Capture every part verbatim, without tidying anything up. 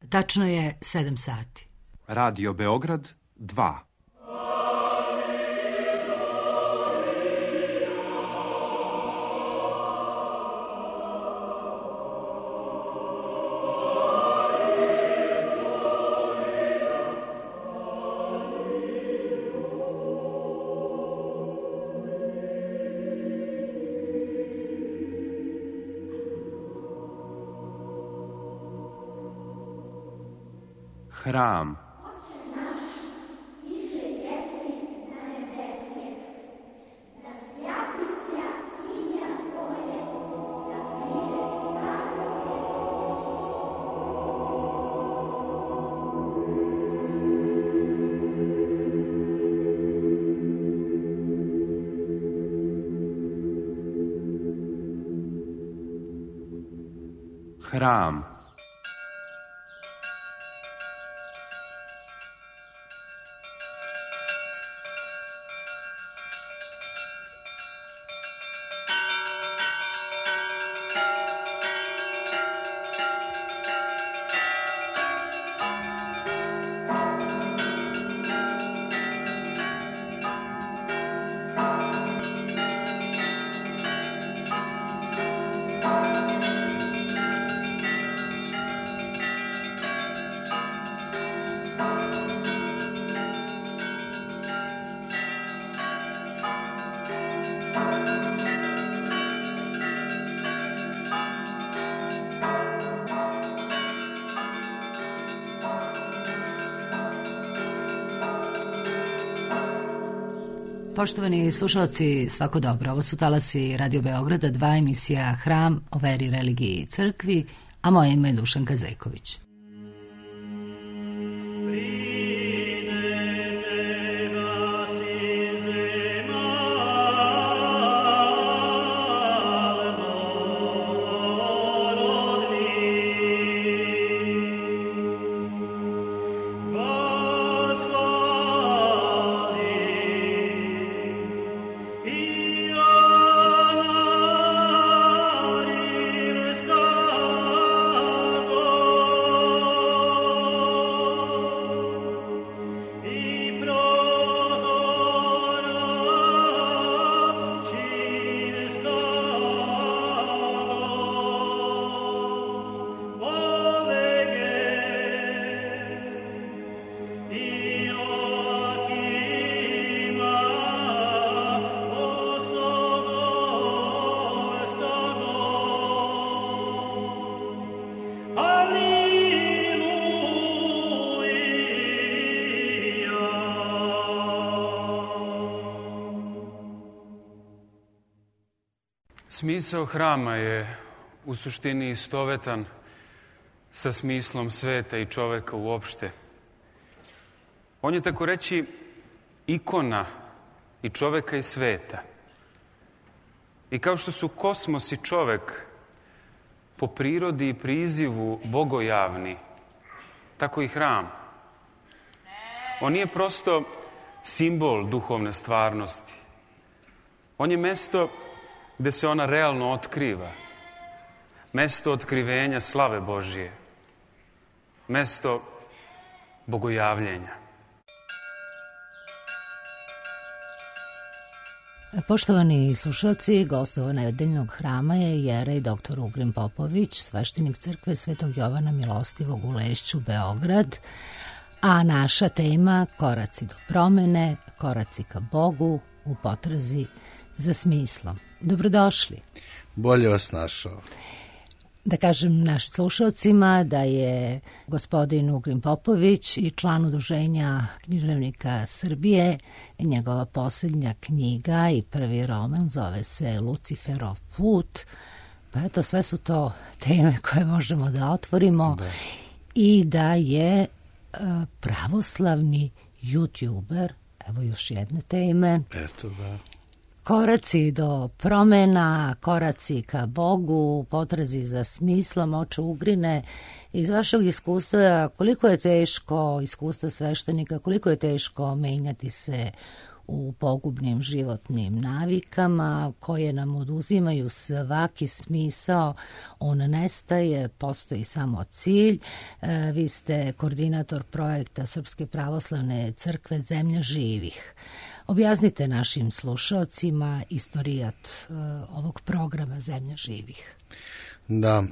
Tačno je sedam sati. Radio Beograd dva. Hram. Hram. Poštovani slušalci, svako dobro. Ovo su talasi Radio Beograda, dva, emisija Hram o veri, religiji i crkvi, a moje ime je Dušanka Zejković. Smisao hrama je u suštini istovetan sa smislom sveta i čoveka uopšte. On je, tako reći, ikona i čoveka i sveta. I kao što su kosmos i čovek po prirodi i prizivu bogojavni, tako i hram. On nije prosto simbol duhovne stvarnosti. On je mesto gde se ona realno otkriva. Mesto otkrivenja slave Božije. Mesto bogojavljenja. Poštovani slušalci, gost ovog nedeljnog hrama je jerej doktor Ugrin Popović, sveštenik crkve Svetog Jovana Milostivog u Lešću, Beograd, a naša tema koraci do promene, koraci ka Bogu u potrazi za smislom. Dobrodošli. Bolje vas našao. Da kažem našim slušalcima da je gospodin Ugrin Popović i član Udruženja književnika Srbije. Njegova posljednja knjiga i prvi roman zove se Luciferov put. Pa eto, sve su to teme koje možemo da otvorimo. Da. I da je uh, pravoslavni youtuber, evo još jedne teme. Eto, da. Koraci do promena, koraci ka Bogu, potrazi za smislom. Oče Ugrine, iz vašeg iskustva, koliko je teško, iskustva sveštenika, koliko je teško menjati se u pogubnim životnim navikama koje nam oduzimaju svaki smisao, on nestaje, postoji samo cilj. E, vi ste koordinator projekta Srpske pravoslavne crkve Zemlja živih. Objasnite našim slušalcima istorijat e, ovog programa Zemlja živih. Da,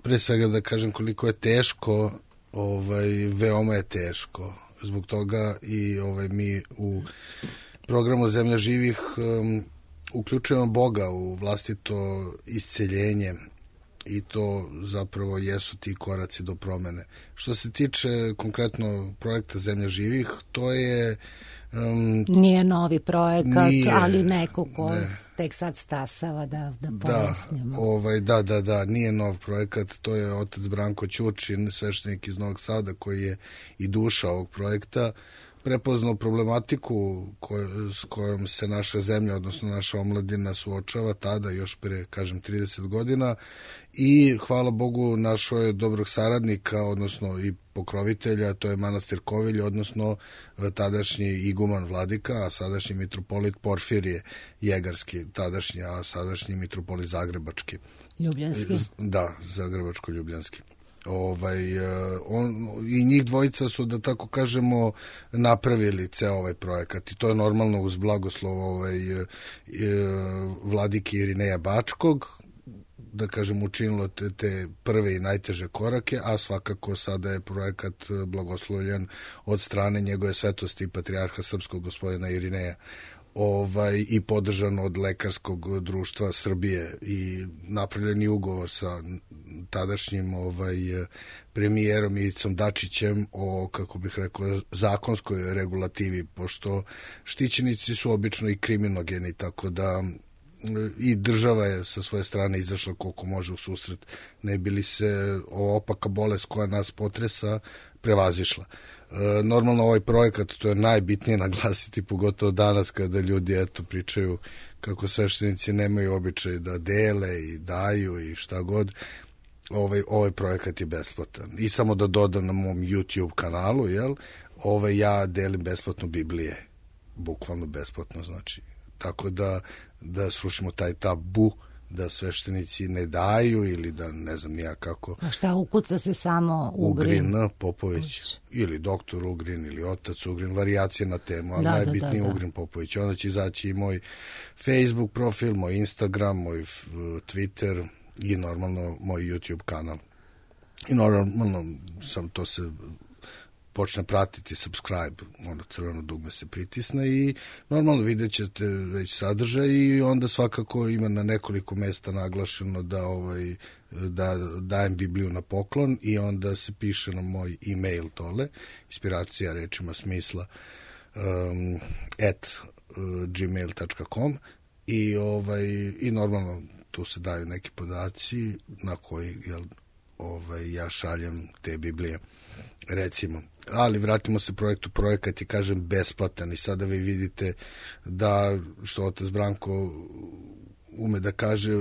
pre svega da kažem koliko je teško, ovaj, veoma je teško. Zbog toga i ovaj, mi u programu Zemlja živih um, uključujemo Boga u vlastito isceljenje i to zapravo jesu ti koraci do promene. Što se tiče konkretno projekta Zemlja živih, to je Um, nije novi projekat, nije, ali neko ko ne. tek sad stasava da, da pojasnimo. Da, ovaj, da, da, da, nije nov projekat, to je otac Branko Ćurčin, sveštenik iz Novog Sada, koji je i duša ovog projekta, prepoznao problematiku koj, s kojom se naša zemlja, odnosno naša omladina suočava tada, još pre, kažem, trideset godina, i hvala Bogu našo je dobrog saradnika, odnosno i pokrovitelja, to je manastir Kovilj, odnosno tadašnji iguman vladika, a sadašnji mitropolit Porfirije Jegarski, tadašnji, a sadašnji mitropolit Zagrebački. Ljubljanski. Da, Zagrebačko-Ljubljanski. Ovaj, on, i njih dvojica su, da tako kažemo, napravili ceo ovaj projekat i to je normalno uz blagoslov ovaj, vladike Irineja Bačkog, da kažem, učinilo te, te prve i najteže korake, a svakako sada je projekat blagoslovljen od strane njegove svetosti patrijarha srpskog gospodina Irineja, ovaj, i podržan od Lekarskog društva Srbije i napravljeni ugovor sa tadašnjim ovaj, premijerom Ivicom Dačićem o, kako bih rekao, zakonskoj regulativi, pošto štićenici su obično i kriminogeni, tako da i država je sa svoje strane izašla koliko može u susret, ne bi li se opaka bolest koja nas potresa prevazišla. E, normalno ovaj projekat, to je najbitnije naglasiti, pogotovo danas kada ljudi eto pričaju kako sveštenici nemaju običaj da dele i daju i šta god. Ovaj, ovaj projekat je besplatan. I samo da dodam na mom YouTube kanalu, jel, ovaj, ja delim besplatno Biblije, bukvalno besplatno, znači, tako da da srušimo taj tabu da sveštenici ne daju ili da ne znam nija kako. A šta, ukuca se samo Ugrin? Ugrin Popović. Uć. Ili doktor Ugrin ili otac Ugrin, varijacije na temu, ali da, najbitniji da, da, Ugrin Popović. Onda će izaći i moj Facebook profil, moj Instagram, moj Twitter i normalno moj YouTube kanal. I normalno sam to se počne pratiti, subscribe, ono crveno dugme se pritisne i normalno vidjet ćete već sadržaj i onda svakako ima na nekoliko mesta naglašeno da, ovaj, da dajem Bibliju na poklon i onda se piše na moj e-mail tole, inspiracija rečima smisla um, at uh, gmail dot com i, ovaj, i normalno tu se daju neki podaci na koji jel, ovaj, ja šaljem te Biblije, recimo. Ali vratimo se projektu, projekat je, kažem, besplatan i sada vi vidite da, što otac Branko ume da kaže,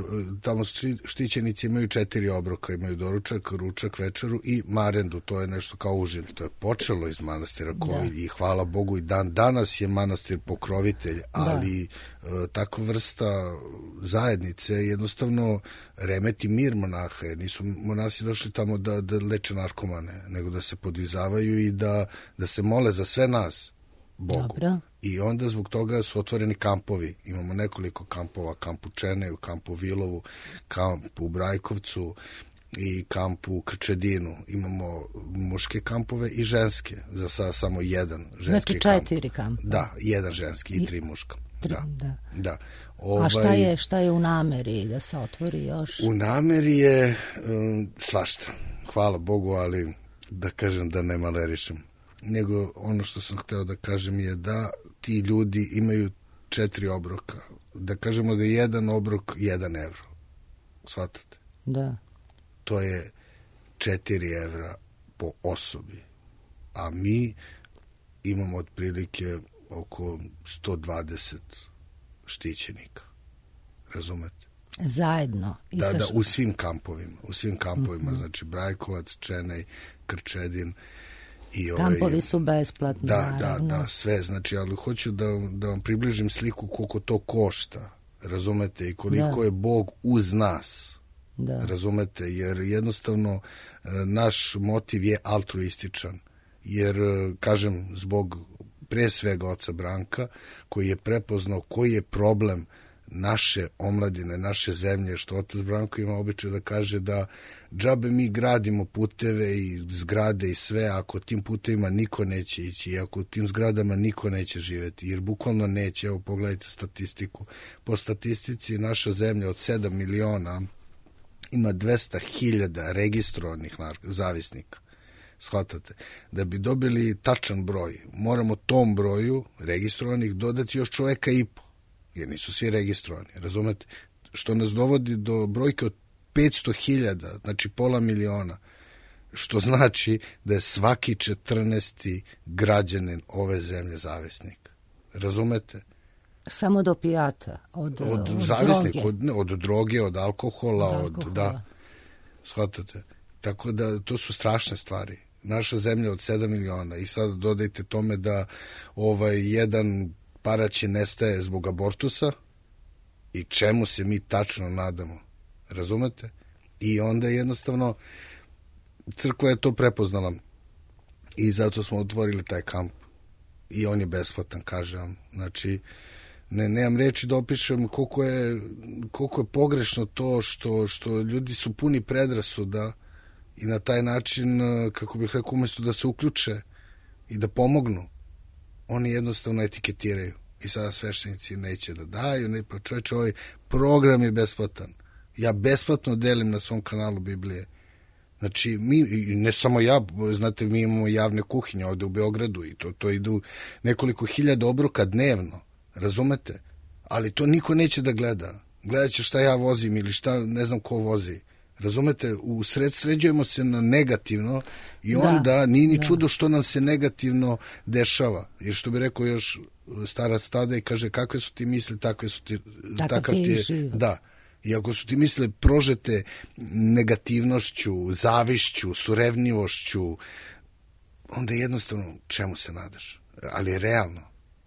tamo štićenici imaju četiri obroka, imaju doručak, ručak, večeru i marendu, to je nešto kao užin. To je počelo iz manastira Kovilj i hvala Bogu i dan danas je manastir pokrovitelj, ali da. Takva vrsta zajednice jednostavno remeti mir monaha, jer nisu monasi došli tamo da, da leče narkomane, nego da se podvizavaju i da, da se mole za sve nas Bogu. Dobro. I onda zbog toga su otvoreni kampovi. Imamo nekoliko kampova, kamp u Čeneju, kamp u Vilovu, kamp u Brajkovcu i kamp u Krčedinu. Imamo muške kampove i ženske. Za sada samo jedan ženski znači četiri kampa. Da, jedan ženski i tri muška. Tri, da. da. da. Ovaj, A šta je, šta je u nameri da se otvori još? U nameri je um, svašta. Hvala Bogu, ali da kažem da ne malerišem. Nego ono što sam hteo da kažem je da ti ljudi imaju četiri obroka. Da kažemo da je jedan obrok jedan evro. Shvatate? Da. To je četiri evra po osobi. A mi imamo otprilike oko sto dvadeset štićenika. Razumete? Zajedno. I da, sa... da, u svim kampovima. U svim kampovima, mm-hmm. znači Brajkovac, Čenej, Krčedin I ovaj, kampovi su besplatni, da, naravno. Da, da, sve, znači, ali hoću da, da vam približim sliku koliko to košta, razumete, i koliko da. je Bog uz nas, da. razumete, jer jednostavno naš motiv je altruističan, jer, kažem, zbog pre svega oca Branka, koji je prepoznao koji je problem naše omladine, naše zemlje, što otac Branko ima običaj da kaže da džabe mi gradimo puteve i zgrade i sve, ako tim putevima niko neće ići i ako tim zgradama niko neće živeti, jer bukvalno neće. Evo, pogledajte statistiku. Po statistici naša zemlja od sedam miliona ima dvesta hiljada registrovanih zavisnika. Shvatate? Da bi dobili tačan broj, moramo tom broju registrovanih dodati još čoveka i po, jer nisu svi registrovani, razumete? Što nas dovodi do brojke od petsto hiljada, znači pola miliona, što znači da je svaki četrnaesti građanin ove zemlje zavisnik. Razumete? Samo od opijata, od, od, od zavisnik, droge. Od, ne, od droge, od alkohola, od, od, alkohola. da, shvatate? Tako da to su strašne stvari. Naša zemlja od sedam miliona i sad dodajte tome da ovaj jedan paraće nestaje zbog abortusa i čemu se mi tačno nadamo. Razumete? I onda jednostavno crkva je to prepoznala i zato smo otvorili taj kamp i on je besplatan, kažem vam. Znači, ne, nemam reči da opišem koliko je, koliko je pogrešno to što, što ljudi su puni predrasuda i na taj način, kako bih rekao, umjesto da se uključe i da pomognu, oni jednostavno etiketiraju. I sada sveštenici neće da daju, ne, pa čovječe, ovaj program je besplatan. Ja besplatno delim na svom kanalu Biblije. Znači, mi, ne samo ja, znate, mi imamo javne kuhinje ovde u Beogradu i to, to idu nekoliko hiljada obroka dnevno, razumete? Ali to niko neće da gleda. Gledat će šta ja vozim ili šta ne znam ko vozi. Razumete, u sred sređujemo se na negativno i onda da, nije ni da. čudo što nam se negativno dešava. Jer što bi rekao još starac tada i kaže kakve su ti misli, takve su ti, Tako takav ti je, da. I ako su ti misle prožete negativnošću, zavišću, surevnjivošću, onda jednostavno čemu se nadaš? Ali je realno.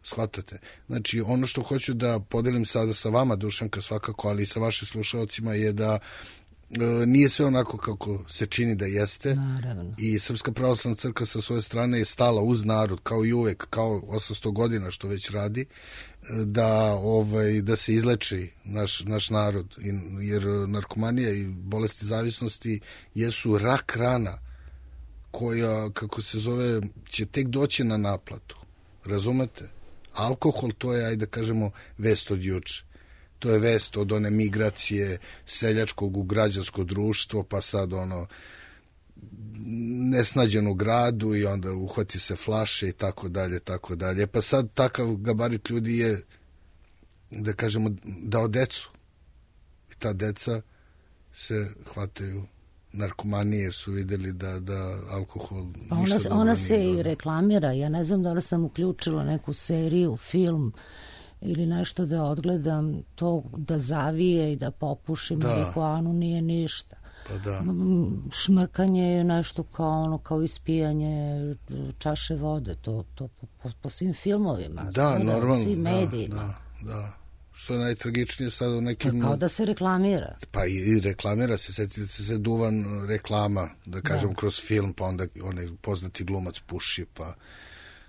Shvatate? Znači, ono što hoću da podelim sada sa vama, Dušanka, svakako, ali i sa vašim slušalcima, je da nije sve onako kako se čini da jeste. Naravno. I Srpska pravoslavna crkva sa svoje strane je stala uz narod, kao i uvek, kao osamsto godina što već radi, da, ovaj, da se izleči naš, naš narod. Jer narkomanija i bolesti zavisnosti jesu rak rana koja, kako se zove, će tek doći na naplatu. Razumete? Alkohol, to je, ajde da kažemo, vest od juče. To je vest od one migracije seljačkog u građansko društvo, pa sad ono nesnađen u gradu i onda uhvati se flaše i tako dalje, tako dalje. Pa sad takav gabarit ljudi je, da kažemo, dao decu. I ta deca se hvataju narkomanije jer su videli da, da alkohol pa ništa ona, dobro ona nije se dobro. I reklamira. Ja ne znam da li sam uključila neku seriju, film ili nešto da odgledam, to da zavije i da popuši marihuanu nije ništa. Pa da. Šmrkanje je nešto kao ono, kao ispijanje čaše vode, to, to po, po, po svim filmovima. Da, normalno. Svim da, medijima. Da, da. Što je najtragičnije sad u nekim... Kao da se reklamira. Pa i reklamira se, setite se Duvan reklama, da kažem, da. kroz film, pa onda onaj poznati glumac puši, pa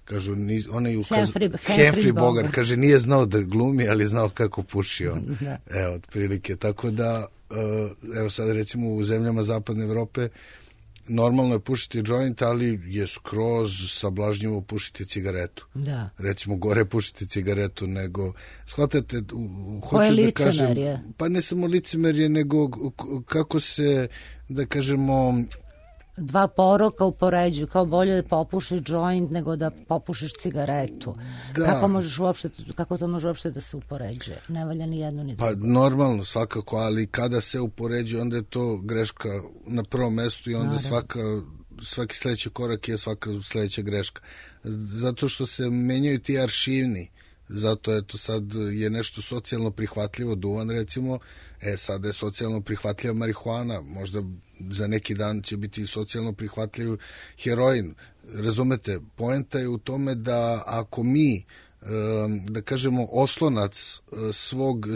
kažu, onaj Humphrey, Humphrey Bogart, kaže, nije znao da glumi, ali znao kako puši on. Da. Evo, otprilike. Tako da, evo sad recimo u zemljama zapadne Evrope normalno je pušiti joint, ali je skroz sablažnjivo pušiti cigaretu. Da. Recimo, gore pušiti cigaretu nego... Shvatate, hoću da kažem... Pa ne samo licemerje, nego kako se, da kažemo... Dva poroka upoređuju, kao bolje da popušiš joint nego da popušiš cigaretu. Da. Kako, možeš uopšte, kako to može uopšte da se upoređuje? Ne valja ni jedno ni drugo. Pa normalno, svakako, ali kada se upoređuje, onda je to greška na prvom mestu i onda svaka, svaki sledeći korak je svaka sledeća greška. Zato što se menjaju ti aršivni. zato eto sad je nešto socijalno prihvatljivo, duvan recimo, e sad je socijalno prihvatljiva marihuana, možda za neki dan će biti socijalno prihvatljiv heroin. Razumete, poenta je u tome da ako mi, da kažemo, oslonac svog,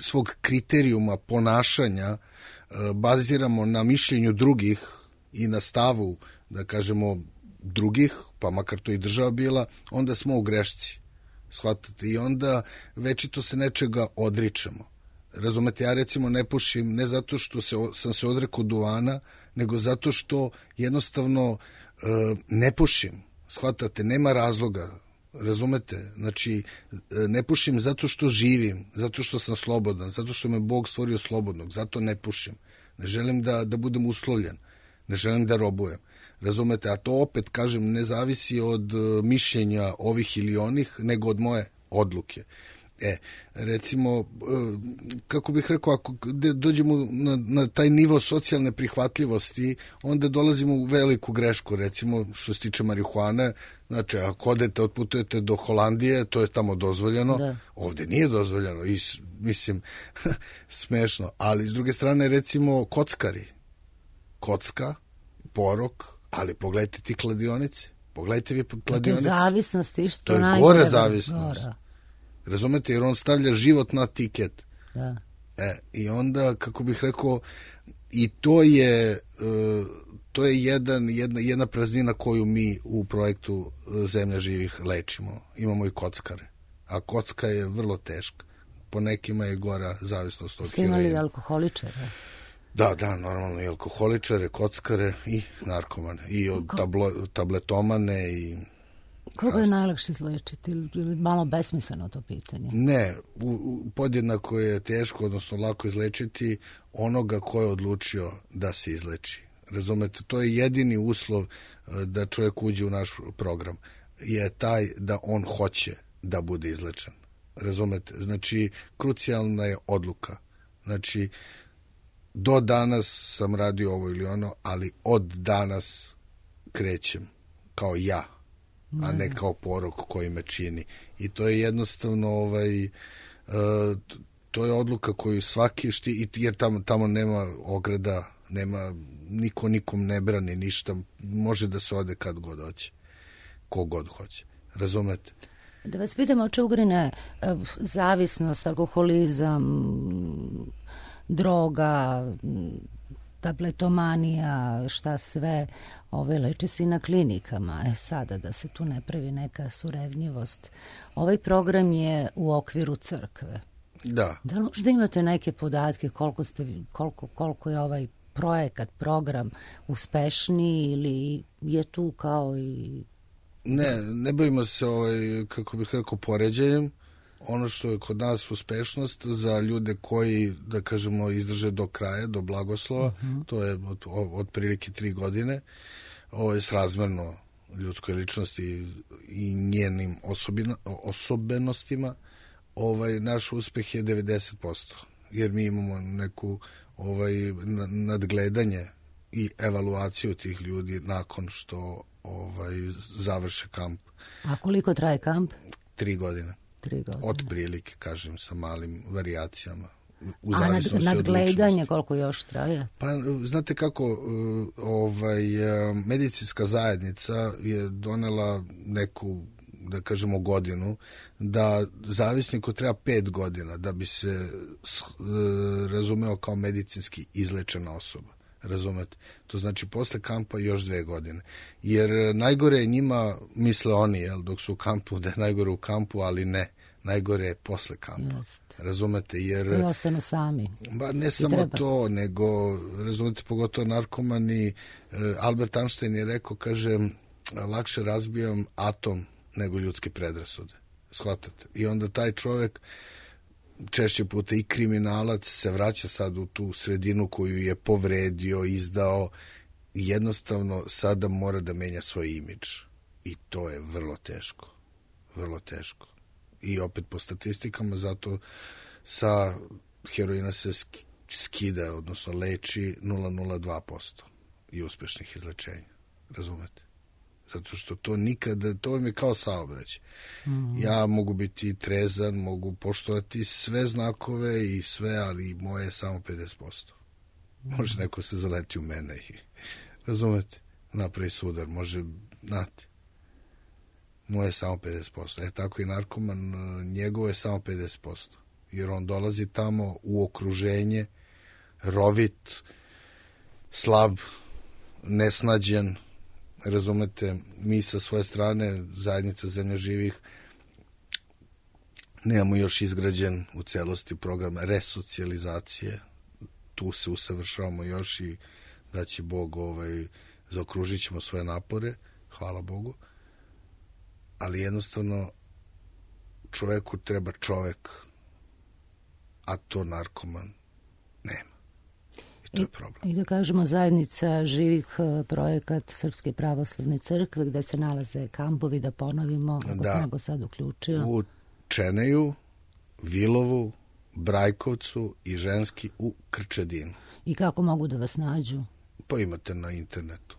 svog kriterijuma ponašanja baziramo na mišljenju drugih i na stavu, da kažemo, drugih, pa makar to i država bila, onda smo u grešci. Shvatate? I onda večito se nečega odričemo. Razumete, ja recimo ne pušim ne zato što se, sam se odrekao duvana, nego zato što jednostavno e, ne pušim. Shvatate, nema razloga. Razumete? Znači, ne pušim zato što živim, zato što sam slobodan, zato što me Bog stvorio slobodnog, zato ne pušim. Ne želim da, da budem uslovljen, ne želim da robujem. Razumete, a to opet, kažem, ne zavisi od mišljenja ovih ili onih, nego od moje odluke. E, recimo, kako bih rekao, ako dođemo na, na taj nivo socijalne prihvatljivosti, onda dolazimo u veliku grešku, recimo, što se tiče marihuane. Znači, ako odete, otputujete do Holandije, to je tamo dozvoljeno, da. Ovde nije dozvoljeno, i, mislim, smešno. Ali, s druge strane, recimo, kockari. Kocka, porok, ali pogledajte ti kladionice. Pogledajte vi kladionice. To je zavisnost, išto to je najgore. gore zavisnost. Gora. Razumete, jer on stavlja život na tiket. Da. E, i onda, kako bih rekao, i to je, to je jedan, jedna, jedna praznina koju mi u projektu Zemlja živih lečimo. Imamo i kockare. A kocka je vrlo teška. Po nekima je gora zavisnost od heroina. Ste imali alkoholičare? Da, da, normalno i alkoholičare, kockare i narkomane. I od tablo, tabletomane i... Koga je najlakše izlečiti ili malo besmisleno to pitanje? Ne, u, u, podjednako je teško, odnosno lako izlečiti onoga ko je odlučio da se izleči. Razumete, to je jedini uslov da čovjek uđe u naš program, je taj da on hoće da bude izlečen. Razumete, znači krucijalna je odluka. Znači, do danas sam radio ovo ili ono, ali od danas krećem kao ja, a ne kao porok koji me čini. I to je jednostavno ovaj, uh, to je odluka koju svaki šti, jer tamo, tamo nema ograda, nema, niko nikom ne brani ništa, može da se ode kad god hoće, ko god hoće. Razumete? Da vas pitamo, oče Ugrine, zavisnost, alkoholizam, droga, tabletomanija, šta sve, ove leče se i na klinikama. E sada, da se tu ne pravi neka surevnjivost. Ovaj program je u okviru crkve. Da. Da li možda imate neke podatke koliko, ste, koliko, koliko je ovaj projekat, program uspešniji ili je tu kao i... Ne, ne bavimo se, ovaj, kako bih rekao, poređenjem. Ono što je kod nas uspešnost za ljude koji, da kažemo, izdrže do kraja, do blagoslova, uh-huh. to je od, od prilike tri godine, ovo je srazmerno ljudskoj ličnosti i njenim osobina, osobenostima, ovaj, naš uspeh je devedeset posto, jer mi imamo neku ovaj, nadgledanje i evaluaciju tih ljudi nakon što ovaj, završe kamp. A koliko traje kamp? Tri godine. Tri godine. Od prilike, kažem, sa malim varijacijama. U A nad, nadgledanje koliko još traje? Pa, znate kako, ovaj, medicinska zajednica je donela neku, da kažemo, godinu, da zavisniku treba pet godina da bi se razumeo kao medicinski izlečena osoba. Razumete? To znači posle kampa još dve godine. Jer najgore je njima, misle oni, jel, dok su u kampu, da je najgore u kampu, ali ne. Najgore je posle kampa. Just. Razumete? Jer i ostanu sami. Ba, ne samo to, nego, razumete, pogotovo narkomani. Albert Einstein je rekao, kaže, lakše razbijam atom nego ljudske predrasude. Shvatate? I onda taj čovjek, češće puta i kriminalac, se vraća sad u tu sredinu koju je povredio, izdao i jednostavno sada mora da menja svoj imidž. I to je vrlo teško. Vrlo teško. I opet po statistikama, zato sa heroina se skida, odnosno leči nula zarez nula dva posto i uspešnih izlečenja. Razumete? Zato što to nikada, to vam je kao saobraćaj. Mm. Ja mogu biti trezan, mogu poštovati sve znakove i sve, ali moje je samo pedeset posto. Mm. Može neko se zaleti u mene i, razumete, napravi sudar, može, znate, moje je samo pedeset posto. E tako i narkoman, njegovo je samo pedeset posto. Jer on dolazi tamo u okruženje, rovit, slab, nesnađen, razumete, mi sa svoje strane, zajednica Zemlja živih, nemamo još izgrađen u celosti program resocijalizacije, tu se usavršavamo još i da će Bog, ovaj, zaokružit ćemo svoje napore, hvala Bogu, ali jednostavno čoveku treba čovek, a to narkoman nema. I to je problem. I da kažemo, zajednica živih, projekat Srpske pravoslavne crkve, gde se nalaze kampovi, da ponovimo, ako da, se nego sad uključio. U Čeneju, Vilovu, Brajkovcu i ženski u Krčedinu. I kako mogu da vas nađu? Pa imate na internetu.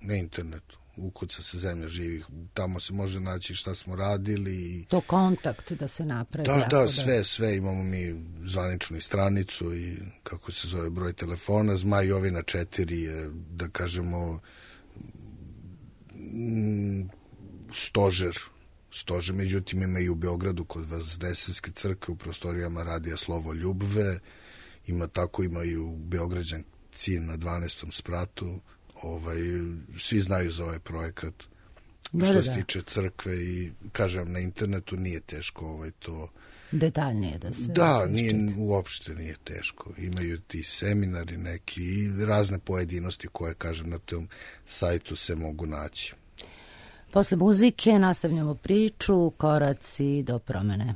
Na internetu. Ukuca se Zemlja živih. Tamo se može naći šta smo radili. To kontakt da se napravi. Da, da, sve, da... sve. Imamo mi zvaničnu i stranicu i kako se zove broj telefona. Zmaj Jovina četiri je, da kažemo, stožer. Stožer, međutim, ima i u Beogradu kod Vazdesenske crkve u prostorijama Radija Slovo Ljubve. Ima tako, ima i u Beograđanci na dvanaestom spratu. Ovaj, svi znaju za ovaj projekat da, što da, se da. tiče crkve i kažem na internetu nije teško ovaj, to detaljnije da se da, nije, uopšte nije teško, imaju ti seminari neki i razne pojedinosti koje kažem na tom sajtu se mogu naći. Posle muzike nastavljamo priču Koraci do promene.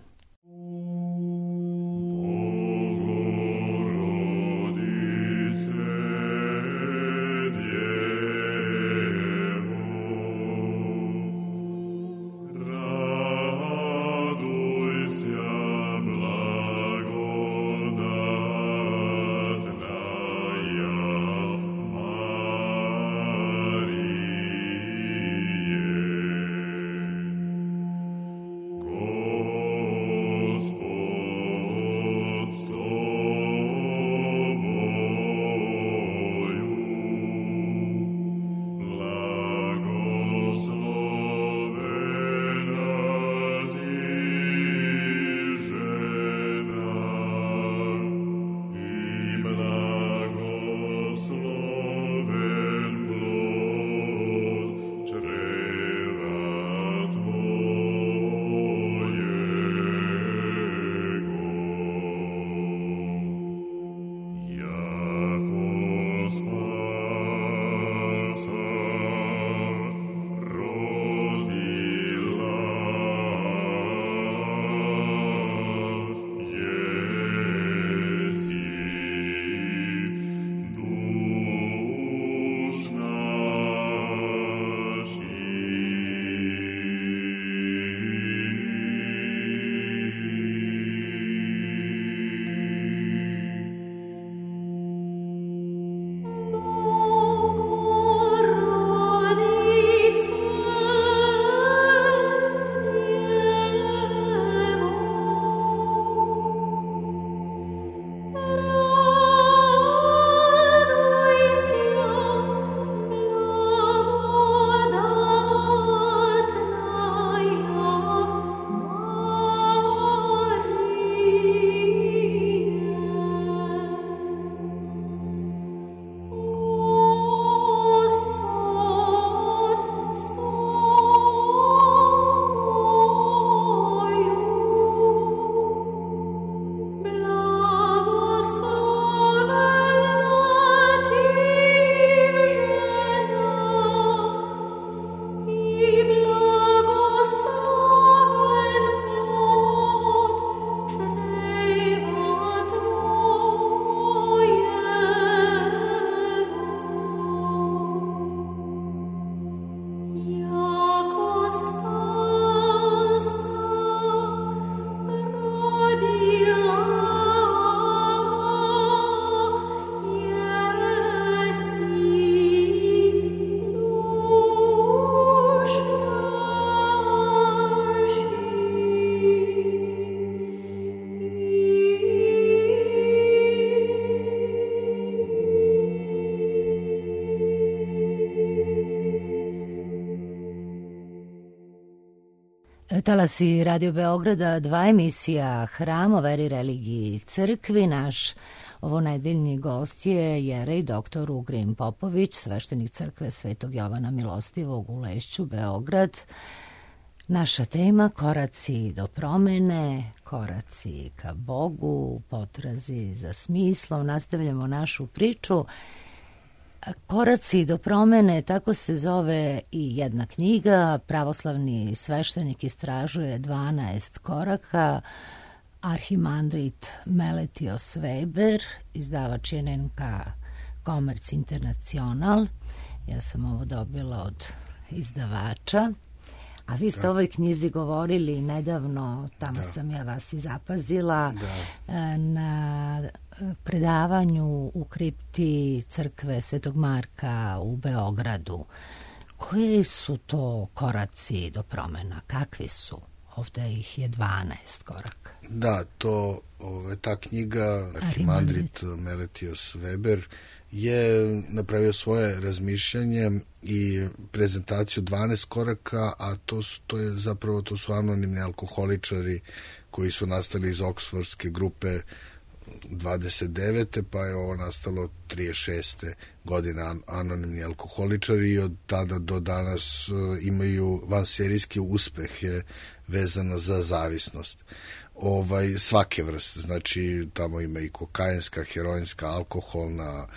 Talasi Radio Beograda, dva emisija Hram o veri, religiji i crkvi. Naš ovonedeljni gost je jerej doktor Ugrin Popović, sveštenik crkve Svetog Jovana Milostivog u Lešću, Beograd. Naša tema: koraci do promene, koraci ka Bogu, potrazi za smislom. Nastavljamo našu priču. Koraci do promene, tako se zove i jedna knjiga. Pravoslavni sveštenik istražuje dvanaest koraka. Arhimandrit Meletios Weber, izdavač je N N K Komerc Internacional. Ja sam ovo dobila od izdavača. A vi ste o ovoj knjizi govorili nedavno, tamo da. sam ja vas i zapazila, da. na predavanju u kripti crkve Svetog Marka u Beogradu. Koji su to koraci do promena? Kakvi su? Ovde ih je dvanaest koraka. Da, to, ove, ta knjiga Arhimandrit Meletios Weber je napravio svoje razmišljanje i prezentaciju dvanaest koraka, a to, su, to je zapravo to su anonimni alkoholičari koji su nastali iz oksfordske grupe dvadeset devete pa je ovo nastalo trideset šeste godine anonimni alkoholičari i od tada do danas imaju vanserijski uspehe vezano za zavisnost. Ovaj, svake vrste, znači tamo ima i kokainska, heroinska, alkoholna,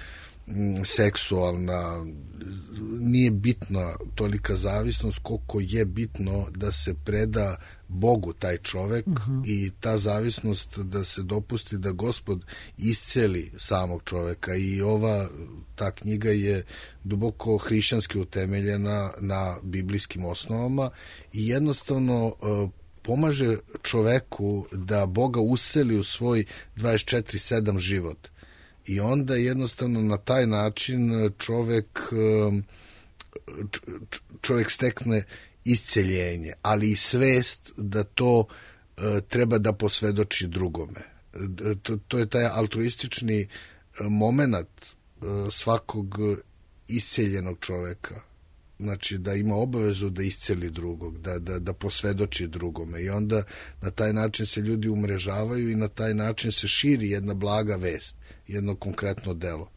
seksualna, nije bitna tolika zavisnost koliko je bitno da se preda Bogu taj čovek uh-huh. i ta zavisnost da se dopusti da Gospod isceli samog čoveka i ova, ta knjiga je duboko hrišćanski utemeljena na biblijskim osnovama i jednostavno uh, pomaže čoveku da Boga useli u svoj dvadeset četiri sedam život. I onda jednostavno na taj način čovek, čovek stekne isceljenje, ali i svest da to treba da posvedoči drugome. To, to je taj altruistični moment svakog isceljenog čoveka. Znači da ima obavezu da isceli drugog, da, da, da posvedoči drugome i onda na taj način se ljudi umrežavaju i na taj način se širi jedna blaga vest, jedno konkretno delo.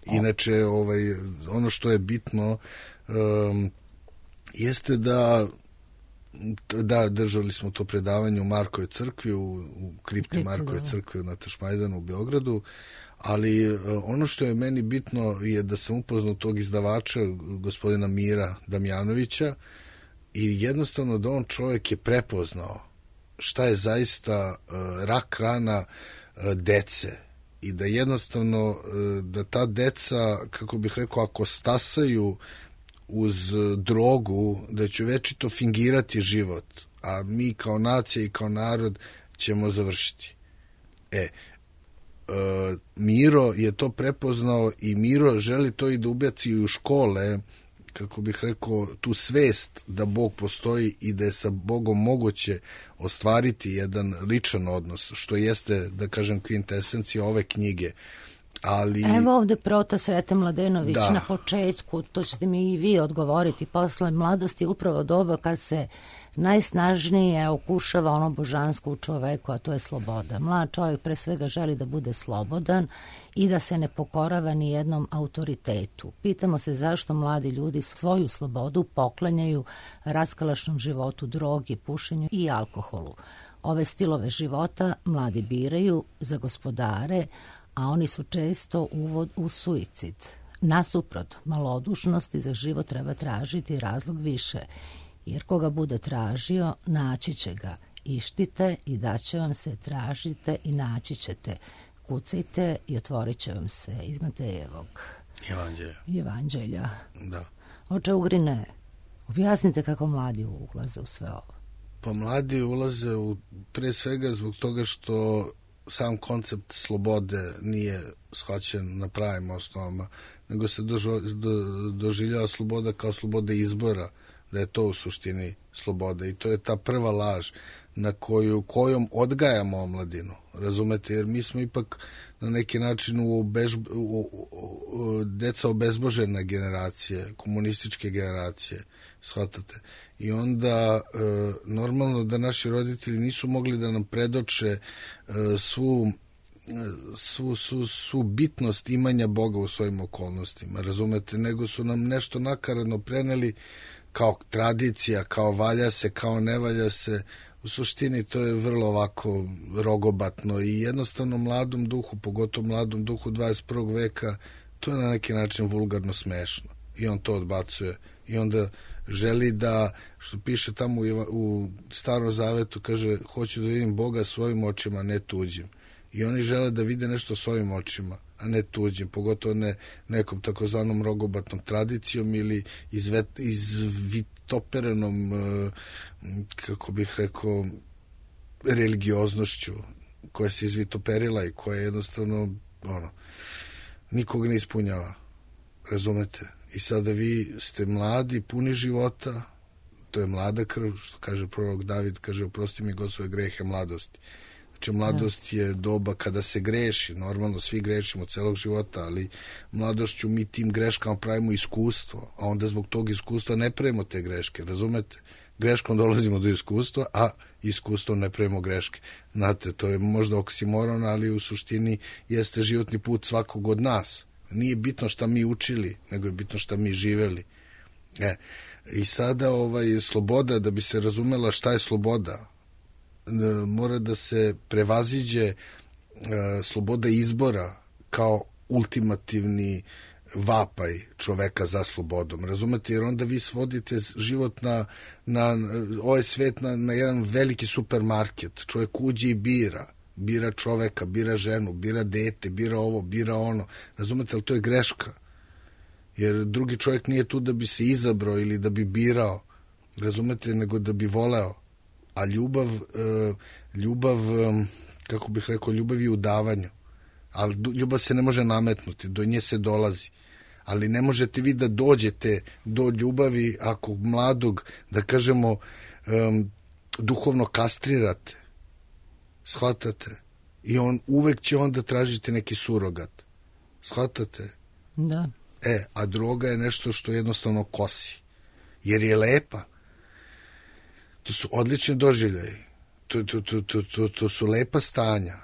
Inače, ovaj, ono što je bitno um, jeste da da, držali smo to predavanje u Markove crkvi, u, u kripti Markove crkve na Tašmajdanu u Beogradu, ali ono što je meni bitno je da sam upoznao tog izdavača, gospodina Mira Damjanovića, i jednostavno da on čovjek je prepoznao šta je zaista uh, rak rana uh, dece i da jednostavno uh, da ta deca, kako bih rekao, ako stasaju uz drogu, da će večito fingirati život, a mi kao nacija i kao narod ćemo završiti. E, Uh, Miro je to prepoznao i Miro želi to i da ubaci u škole, kako bih rekao, tu svest da Bog postoji i da je sa Bogom moguće ostvariti jedan ličan odnos, što jeste, da kažem, kvintesencija ove knjige. Ali... Evo ovde Prota Srete Mladenović da. na početku, to ćete mi i vi odgovoriti, posle mladosti upravo doba kad se najsnažnije okušava ono božansko u čoveku, a to je sloboda. Mlad čovjek pre svega želi da bude slobodan i da se ne pokorava ni jednom autoritetu. Pitamo se zašto mladi ljudi svoju slobodu poklanjaju raskalašnom životu, drogi, pušenju i alkoholu. Ove stilove života mladi biraju za gospodare, a oni su često uvod u suicid. Nasuprot malodušnosti za život treba tražiti razlog više, jer koga bude tražio, naći će ga. Ištite i daće vam se, tražite i naći ćete. Kucajte i otvorit će vam se. Iz Matejevog Evanđelja. Evanđelja. Da. Oče Ugrine, objasnite kako mladi ulaze u sve ovo. Pa mladi ulaze u, pre svega zbog toga što sam koncept slobode nije shvaćen na pravim osnovama, nego se dožo, do, doživljava sloboda kao sloboda izbora da je to u suštini sloboda i to je ta prva laž na koju, kojom odgajamo omladinu, razumete, jer mi smo ipak na neki način u, obež, u, u, u deca obezbožena generacije, komunističke generacije, shvatate, i onda e, normalno da naši roditelji nisu mogli da nam predoče e, svu Svu, svu, svu bitnost imanja Boga u svojim okolnostima, razumete, nego su nam nešto nakaradno preneli kao tradicija, kao valja se, kao ne valja se. U suštini to je vrlo ovako rogobatno i jednostavno mladom duhu, pogotovo mladom duhu dvadeset prvog veka, to je na neki način vulgarno smešno i on to odbacuje i onda želi da, što piše tamo u, u Starom Zavetu, kaže, hoću da vidim Boga svojim očima, ne tuđim. I oni žele da vide nešto svojim očima, a ne tuđim, pogotovo ne nekom takozvanom rogobatnom tradicijom ili izvet, izvitoperenom, kako bih rekao, religioznošću koja se izvitoperila i koja jednostavno ono, nikog ne ispunjava, razumete? I sada vi ste mladi, puni života, to je mlada krv, što kaže prorok David, kaže, oprosti mi God svoje grehe mladosti. Znači, mladost je doba kada se greši, normalno svi grešimo celog života, ali mladošću mi tim greškama pravimo iskustvo, a onda zbog tog iskustva ne pravimo te greške, razumete? Greškom dolazimo do iskustva, a iskustvom ne pravimo greške. Znate, to je možda oksimoron, ali u suštini jeste životni put svakog od nas. Nije bitno šta mi učili, nego je bitno šta mi živeli. E, i sada ovaj, sloboda, da bi se razumela šta je sloboda, mora da se prevaziđe e, sloboda izbora kao ultimativni vapaj čoveka za slobodom, razumete, jer onda vi svodite život na, na ovaj svet na, na jedan veliki supermarket, čovjek uđe i bira, bira čoveka, bira ženu, bira dete, bira ovo, bira ono, razumete, ali to je greška, jer drugi čovjek nije tu da bi se izabrao ili da bi birao, razumete, nego da bi voleo. A ljubav, ljubav, kako bih rekao, ljubav je u davanju. Ali ljubav se ne može nametnuti, do nje se dolazi. Ali ne možete vi da dođete do ljubavi ako mladog, da kažemo, duhovno kastrirate. Shvatate? I on uvek će onda tražiti neki surogat. Shvatate? Da. E, a droga je nešto što jednostavno kosi. Jer je lepa. To su odlični doživljaji, to, to, to, to, to, to su lepa stanja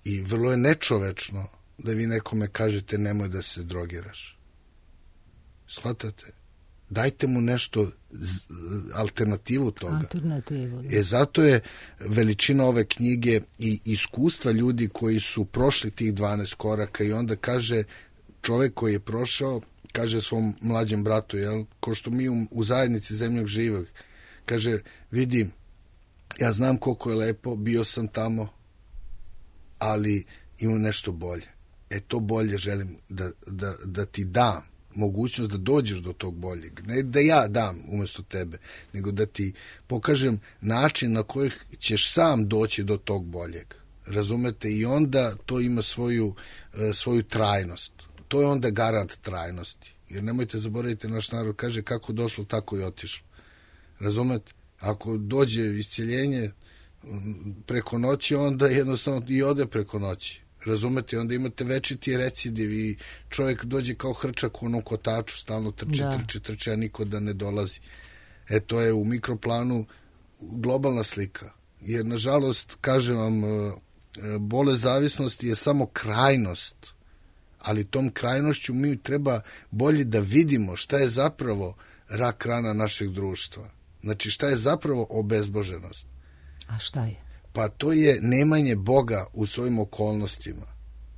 i vrlo je nečovečno da vi nekome kažete nemoj da se drogiraš. Shvatate? Dajte mu nešto, alternativu toga. Alternativu, da. E, zato je veličina ove knjige i iskustva ljudi koji su prošli tih dvanaest koraka i onda kaže čovek koji je prošao, kaže svom mlađem bratu, jel, ko što mi u, u zajednici zemljog živog, kaže, vidim, ja znam koliko je lepo, bio sam tamo, ali imam nešto bolje. E, to bolje želim da, da, da ti dam mogućnost da dođeš do tog boljeg. Ne da ja dam umjesto tebe, nego da ti pokažem način na koji ćeš sam doći do tog boljeg. Razumete? I onda to ima svoju, svoju trajnost. To je onda garant trajnosti. Jer nemojte zaboraviti, naš narod kaže kako došlo, tako i otišlo. Razumete? Ako dođe isceljenje preko noći, onda jednostavno i ode preko noći. Razumete? Onda imate večiti recidiv i čovjek dođe kao hrčak u onom kotaču, stalno trči, da. trči, trči, a niko da ne dolazi. E, to je u mikroplanu globalna slika. Jer, nažalost, kažem vam, bolest zavisnosti je samo krajnost, ali tom krajnošću mi treba bolje da vidimo šta je zapravo rak rana našeg društva. Znači, šta je zapravo obezboženost? A šta je? Pa to je nemanje Boga u svojim okolnostima.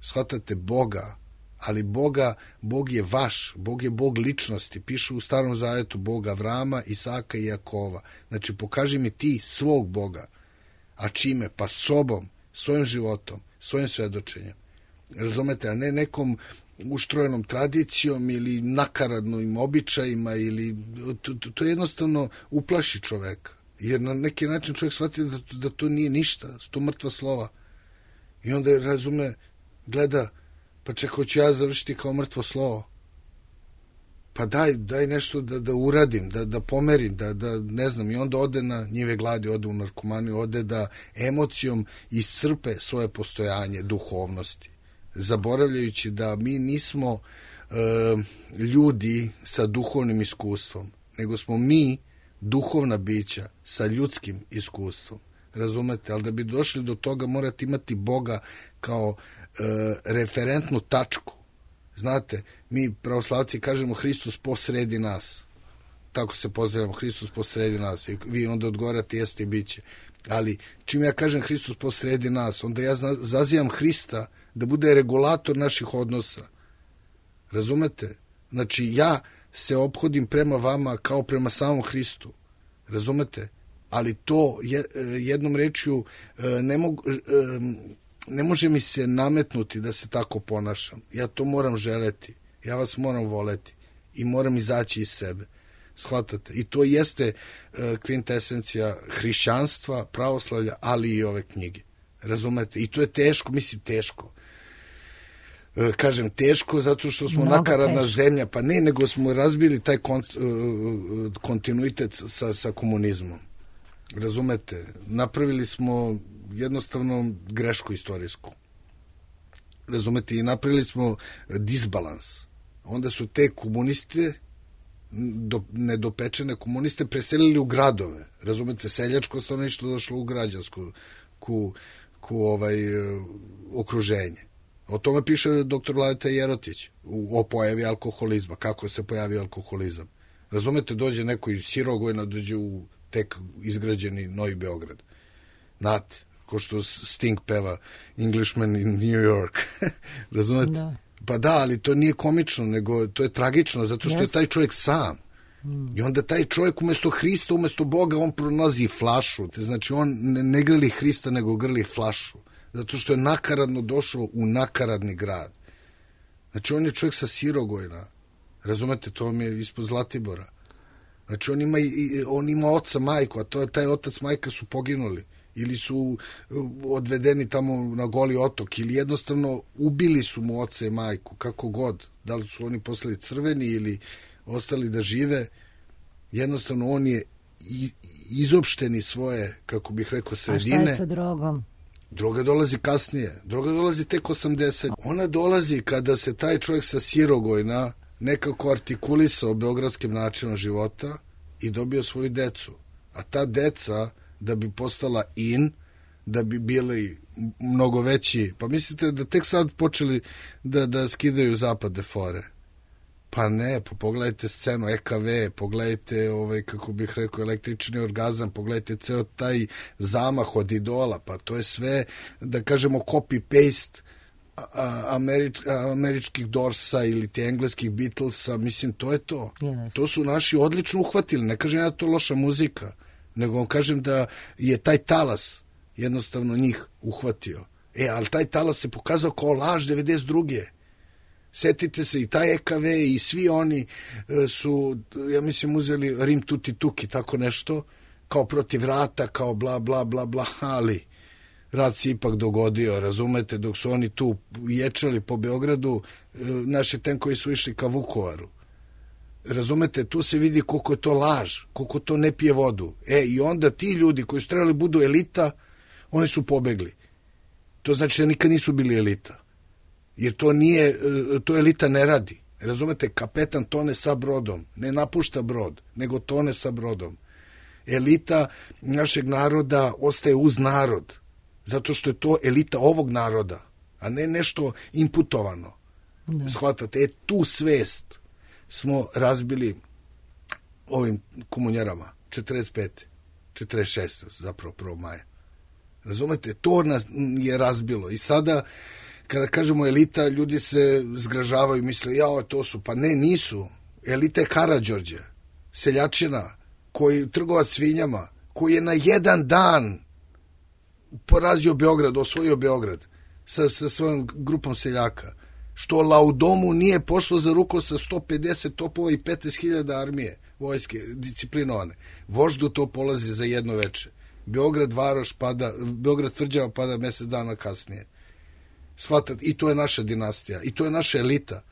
Shvatate, Boga, ali Boga, Bog je vaš, Bog je Bog ličnosti. Pišu u Starom Zavetu Bog Avrama, Isaka i Jakova. Znači, pokaži mi ti svog Boga. A čime? Pa sobom, svojim životom, svojim svedočenjem. Razumete, a ne nekom uštrojenom tradicijom ili nakaradnim običajima ili to, to, to jednostavno uplaši čoveka. Jer na neki način čovjek shvati da, da to nije ništa, su to mrtva slova. I onda razume, gleda, pa čekaj, hoću ja završiti kao mrtvo slovo. pa daj, daj nešto da, da uradim, da, da pomerim, da, da ne znam, i onda ode na njive gladi, ode u narkomaniju, ode da emocijom iscrpe svoje postojanje duhovnosti, zaboravljajući da mi nismo e, ljudi sa duhovnim iskustvom, nego smo mi duhovna bića sa ljudskim iskustvom. Razumete? Ali da bi došli do toga morate imati Boga kao e, referentnu tačku. Znate, mi pravoslavci kažemo Hristos posredi nas. Tako se pozdravljamo, Hristos posredi nas. I vi onda odgovarate jeste i biće. Ali čim ja kažem Hristos posredi nas, onda ja zazivam Hrista da bude regulator naših odnosa. Razumete? Znači ja se ophodim prema vama kao prema samom Hristu. Razumete? Ali to jednom rečju ne mogu... ne može mi se nametnuti da se tako ponašam. Ja to moram želeti. Ja vas moram voleti. I moram izaći iz sebe. Shvatate? I to jeste uh, kvintesencija hrišćanstva, pravoslavlja, ali i ove knjige. Razumete? I to je teško, mislim teško. Uh, kažem teško zato što smo Mnogo nakaradna teško. zemlja. Pa ne, nego smo razbili taj kon, uh, kontinuitet sa, sa komunizmom. Razumete? Napravili smo jednostavno grešku istorijsku. Razumete? I napravili smo disbalans. Onda su te komuniste, do, nedopečene komuniste, preselili u gradove. Razumete? Seljačko stanovništvo došlo u građansku ku, ku ovaj, okruženje. O tome piše doktor Vladeta Jerotić u, o pojavi alkoholizma. Kako se pojavio alkoholizam. Razumete? Dođe neko iz Sirogojna, dođe u tek izgrađeni Novi Beograd. Znate? Ko što Sting peva Englishman in New York. Razumete? Da. Pa da, ali to nije komično, nego to je tragično, zato što yes. je taj čovjek sam. Mm. I onda taj čovjek umjesto Hrista, umjesto Boga, on pronalazi flašu. Znači, on ne, ne grli Hrista, nego grli flašu. Zato što je nakaradno došao u nakaradni grad. Znači, on je čovjek sa Sirogojna. Razumete? To vam je ispod Zlatibora. Znači, on ima, on ima oca, majku, a to, taj otac, majka su poginuli. Ili su odvedeni tamo na Goli otok, ili jednostavno ubili su mu oca i majku, kako god. Da li su oni postali crveni ili ostali da žive, jednostavno on je izopšteni svoje, kako bih rekao, sredine. A šta je sa drogom? Droga dolazi kasnije. Droga dolazi tek osamdeset. Ona dolazi kada se taj čovjek sa Sirogojna nekako artikulisao beogradskim načinom života i dobio svoju decu. A ta deca, da bi postala in, da bi bili mnogo veći, pa mislite da tek sad počeli da, da skidaju zapadne fore? Pa ne, pa pogledajte scenu E K V, pogledajte, ovaj, kako bih rekao, električni orgazam, pogledajte ceo taj zamah od idola, pa to je sve, da kažemo, copy-paste Američ, američkih Dorsa ili te engleskih Beatlesa, mislim, to je to. Yes. To su naši odlično uhvatili, ne kažem ja da to loša muzika, nego vam kažem da je taj talas jednostavno njih uhvatio. E, ali taj talas se pokazao kao laž devedeset druge. Setite se, i taj E K V i svi oni su, ja mislim, uzeli Rim tuti tuki, tako nešto, kao protiv rata, kao bla, bla, bla, bla, ali rat se ipak dogodio, razumete, dok su oni tu ječali po Beogradu, naši tenkovi su išli ka Vukovaru. Razumete, tu se vidi koliko je to laž, koliko to ne pije vodu. E, i onda ti ljudi koji su trebali budu elita, oni su pobegli. To znači da nikad nisu bili elita. Jer to nije, to elita ne radi. Razumete, kapetan tone sa brodom, ne napušta brod, nego tone sa brodom. Elita našeg naroda ostaje uz narod, zato što je to elita ovog naroda, a ne nešto imputovano. Ne. Shvatate, e, tu svest smo razbili ovim komunjarama, četrdeset pete četrdeset šeste zapravo prvog maja. Razumete, to nas je razbilo. I sada, kada kažemo elita, ljudi se zgražavaju, misle, jao, to su, pa ne, nisu. Elita je Karađorđe, seljačina, koji trgovac svinjama, koji je na jedan dan porazio Beograd, osvojio Beograd sa, sa svojom grupom seljaka. Što Laudomu nije pošlo za ruku sa sto pedeset topova i petnaest hiljada armije, vojske, disciplinovane. Voždu to polazi za jedno veče. Beograd Varoš pada, Beograd Tvrđava pada mjesec dana kasnije. Shvatate, i to je naša dinastija, i to je naša elita.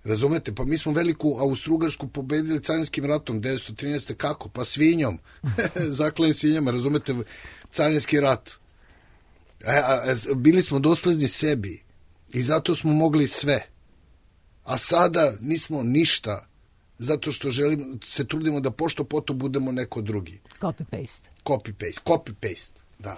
Razumete? Pa mi smo veliku Austrougarsku pobedili carinskim ratom devetsto trinaeste. Kako? Pa svinjom. Zaklenim svinjama, razumete? Carinski rat. A, a, a, bili smo dosledni sebi i zato smo mogli sve. A sada nismo ništa zato što želimo, se trudimo da pošto poto budemo neko drugi. Copy-paste. Copy-paste. Copy-paste, da.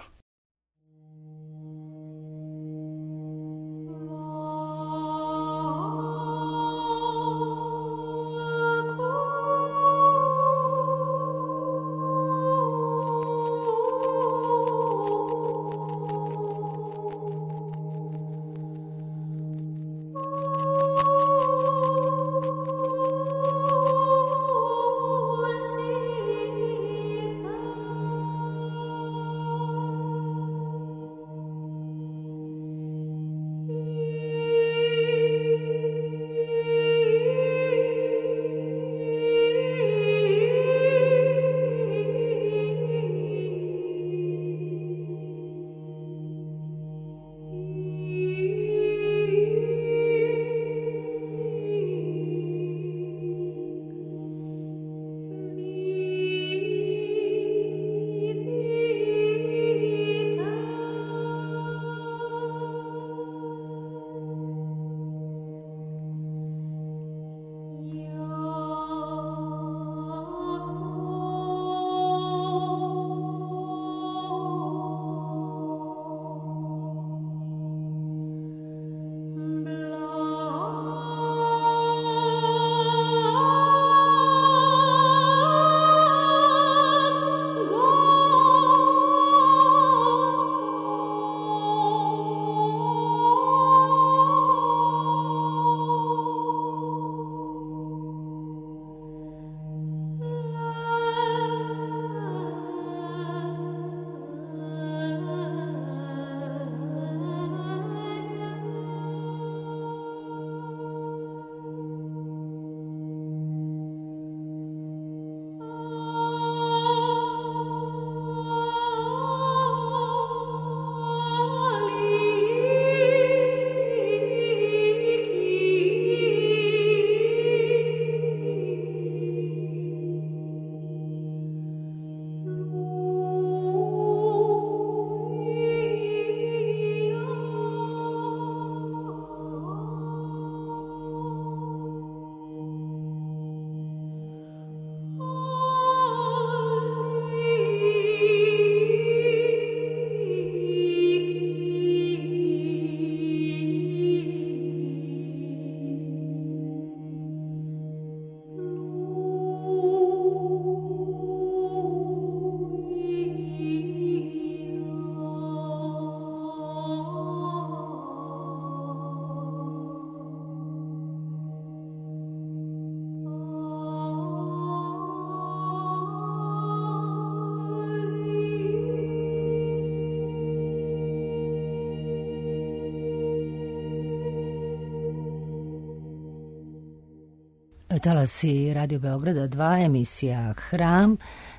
Talasi Radio Beograda dva, emisija Hram.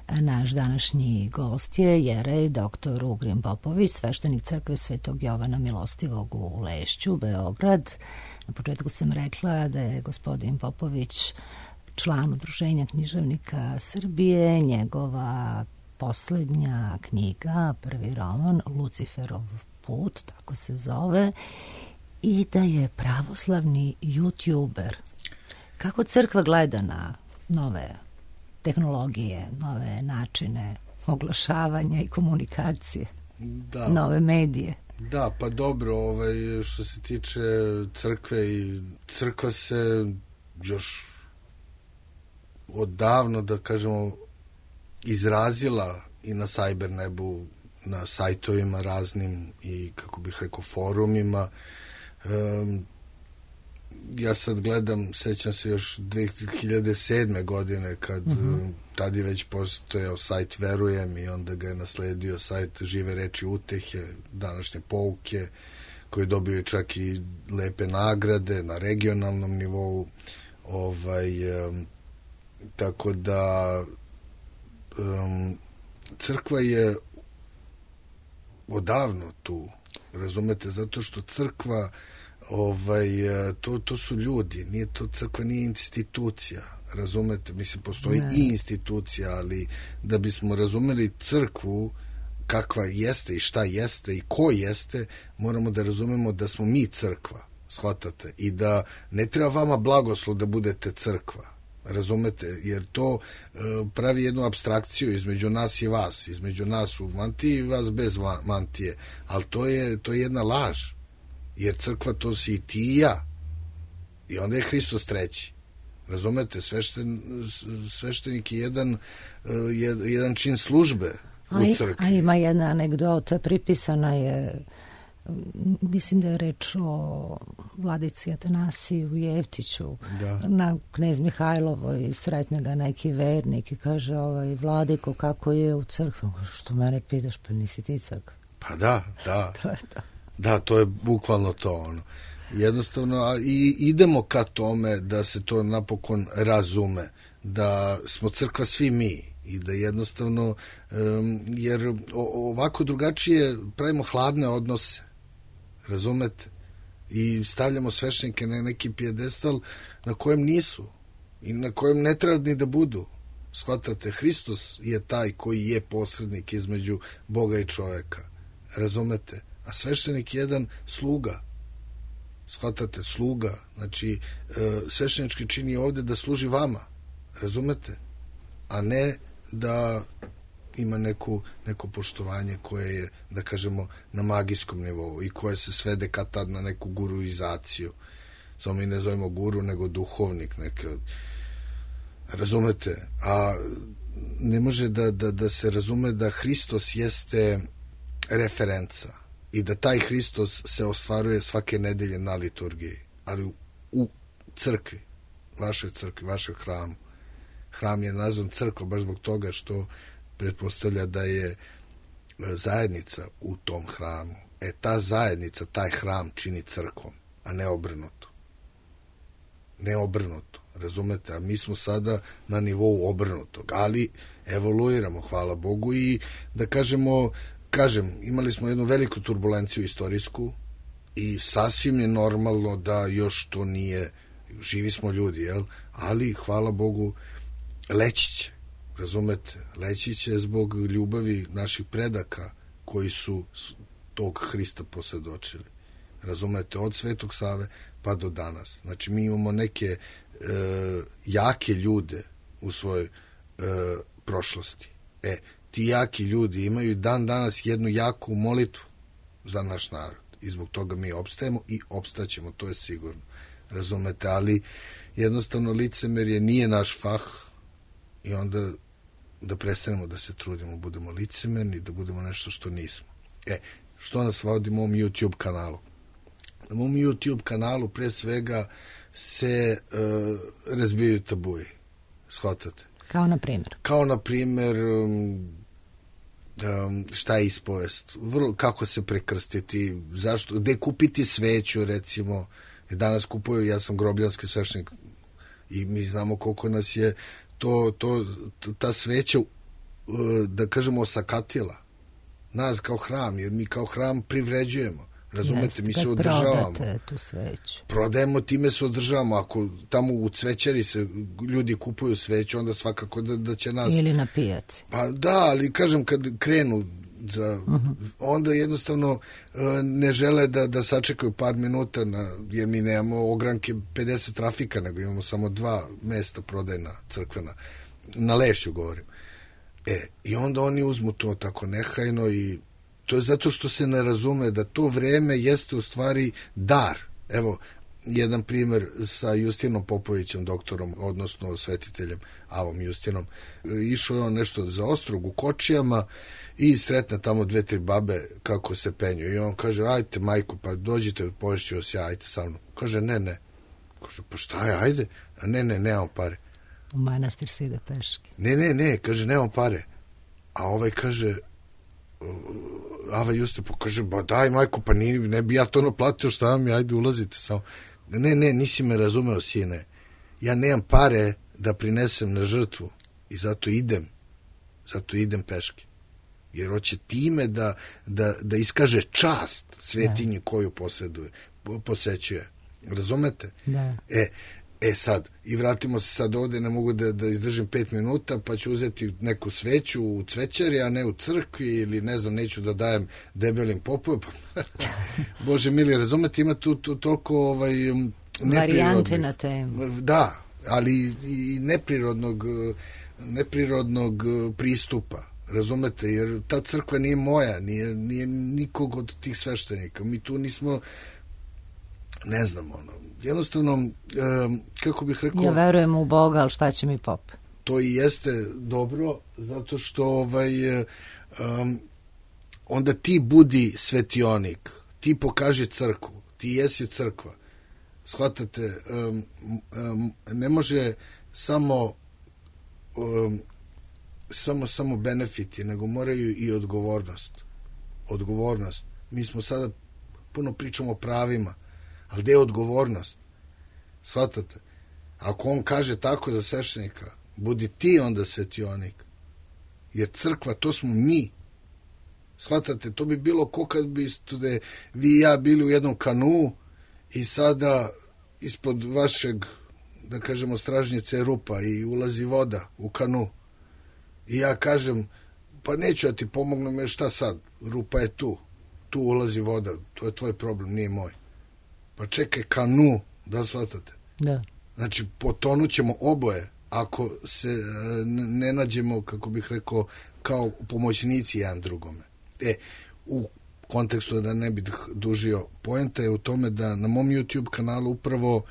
Naš današnji gost je jerej doktor Ugrin Popović, sveštenik crkve Svetog Jovana Milostivog u Lešću, Beograd. Na početku sam rekla da je gospodin Popović član Udruženja književnika Srbije. Njegova poslednja knjiga, prvi roman, Luciferov put, tako se zove, i da je pravoslavni youtuber. Kako crkva gleda na nove tehnologije, nove načine oglašavanja i komunikacije, da. Nove medije? Da, pa dobro, ovaj, što se tiče crkve, i crkva se još odavno, da kažemo, izrazila i na cyber nebu, na sajtovima raznim i, kako bih rekao, forumima. Um, ja sad gledam, sećam se još dve hiljade sedme. godine kad mm-hmm. tad je već postojao sajt Verujem i onda ga je nasledio sajt Žive reči utehe, današnje pouke, koji dobio čak i lepe nagrade na regionalnom nivou. Ovaj, um, tako da um, crkva je odavno tu, razumete, zato što crkva Ovaj, to, to su ljudi, nije to crkva, nije institucija, razumete, mislim, postoji ne. i institucija, ali da bismo razumeli crkvu kakva jeste i šta jeste i ko jeste, moramo da razumemo da smo mi crkva, shvatate, i da ne treba vama blagoslov da budete crkva, razumete, jer to e, pravi jednu apstrakciju između nas i vas, između nas u mantiji i vas bez mantije, ali to je, to je jedna laž, jer crkva to si i ti i ja, i onda je Hristos treći, razumete, svešten, sveštenik je jedan, jedan čin službe u crkvi. A ima jedna anegdota, pripisana je, mislim da je reč o vladici Atanasiju Jevtiću, da. Na knez Mihajlovoj sretne ga neki vernik i kaže, ovaj, vladiko, kako je u crkvi? Što mene pitaš, pa nisi ti crkva? Pa da, da. To je to. Da, to je bukvalno to, ono. Jednostavno, a i idemo ka tome da se to napokon razume, da smo crkva svi mi i da jednostavno, um, jer ovako drugačije pravimo hladne odnose, razumete, i stavljamo sveštenike na neki pijedestal na kojem nisu i na kojem ne treba ni da budu. Shvatate, Hristos je taj koji je posrednik između Boga i čoveka, razumete, a sveštenik je jedan sluga, shvatate, sluga, znači sveštenički čin je ovde da služi vama, razumete, a ne da ima neku, neko poštovanje koje je, da kažemo, na magijskom nivou i koje se svede kad tad na neku guruizaciju. Samo mi ne zovemo guru, nego duhovnik, neke, razumete, a ne može da, da, da se razume da Hristos jeste referenca i da taj Hristos se ostvaruje svake nedelje na liturgiji, ali u, u crkvi, vašoj crkvi, vašoj hramu. Hram je nazvan crkva baš zbog toga što pretpostavlja da je zajednica u tom hramu. E, ta zajednica, taj hram čini crkvom, a ne obrnuto. Ne obrnuto, razumete? A mi smo sada na nivou obrnutog, ali evoluiramo, hvala Bogu, i da kažemo, kažem, imali smo jednu veliku turbulenciju istorijsku i sasvim je normalno da još to nije, živi smo ljudi, jel? Ali, hvala Bogu, leći će, razumete, leći će zbog ljubavi naših predaka koji su tog Hrista posvjedočili, razumete, od Svetog Save pa do danas. Znači, mi imamo neke e, jake ljude u svojoj e, prošlosti. E, ti jaki ljudi imaju dan danas jednu jaku molitvu za naš narod i zbog toga mi opstajemo i opstaćemo, to je sigurno, razumete, ali jednostavno licemerje nije naš fah i onda da prestanemo da se trudimo, budemo licemerni, da budemo nešto što nismo. E, što nas vodi mom YouTube kanalu? Na mom YouTube kanalu pre svega se uh, razbijaju tabuji, shvatate? Kao na primjer? Kao na primjer um, um, šta je ispovest, vrlo, kako se prekrstiti, zašto, gde kupiti sveću, recimo, danas kupuju, ja sam grobljanski sveštenik i mi znamo koliko nas je to, to, ta sveća, da kažemo, osakatila nas kao hram, jer mi kao hram privređujemo, razumete, Jeste, mi se održavamo. Tu sveću. Prodajemo, time se održavamo. Ako tamo u cvećari se ljudi kupuju sveću, onda svakako da, da će nas... Ili na pijaci. Pa da, ali kažem, kad krenu za, uh-huh. onda jednostavno ne žele da, da sačekaju par minuta, na, jer mi nemamo ogranke pedeset trafika, nego imamo samo dva mesta prodajna, crkvena. Na Lešću govorim. E, i onda oni uzmu to tako nehajno i to je zato što se ne razume da to vreme jeste u stvari dar. Evo, jedan primjer sa Justinom Popovićem, doktorom, odnosno svetiteljem Avom Justinom. Išao je on nešto za ostrog u Kočijama i sretne tamo dve, tri babe kako se penju. I on kaže, ajte majko, pa dođite, poješću vas ja, ajte sa mnom. Kaže, ne, ne. Kaže, pa šta je, ajde. A ne, ne, nemam pare. U manastir se ide peške. Ne, ne, ne, kaže, nemam pare. A ovaj kaže, Ava Juste, pa kaže, ba daj majko, pa ni, ne bi ja to naplatio, šta vam je, ajde ulazite samo. Ne, ne, nisi me razumeo, sine. Ja nemam pare da prinesem na žrtvu i zato idem, zato idem peške. jer hoće time da, da, da iskaže čast svetinji koju posjeduje, posećuje. Razumete? Da. E, e sad, i vratimo se sad ovde, ne mogu da, da izdržim pet minuta, pa ću uzeti neku sveću u cvećari, a ne u crkvi, ili ne znam, neću da dajem debelim popovima. Bože mili, razumete, ima tu, tu toliko ovaj, varijante na temu. Da, ali i neprirodnog, neprirodnog pristupa. Razumete, jer ta crkva nije moja, nije, nije nikog od tih sveštenika. Mi tu nismo, ne znam, ono, jednostavno, um, kako bih rekao... Ja verujem u Boga, ali šta će mi pop? To i jeste dobro, zato što ovaj, um, onda ti budi svetionik, ti pokaži crkvu, ti jesi crkva. Shvatate, um, um, ne može samo... Um, samo samo benefiti, nego moraju i odgovornost. Odgovornost. Mi smo sada puno pričamo o pravima, ali gde je odgovornost? Shvatate? Ako on kaže tako za sveštenika, budi ti onda svetionik. Jer crkva, to smo mi. Shvatate? To bi bilo ko kad bi stude, vi i ja bili u jednom kanu i sada ispod vašeg, da kažemo, stražnjice rupa i ulazi voda u kanu. I ja kažem, pa neću ja ti pomognem, jer šta sad? Rupa je tu. Tu ulazi voda. To je tvoj problem, nije moj. Pa čekaj, kanu, da shvatate? Da. Znači, potonut ćemo oboje ako se ne nađemo, kako bih rekao, kao pomoćnici jedan drugome. E, u kontekstu da ne bih dužio, poenta je u tome da na mom YouTube kanalu upravo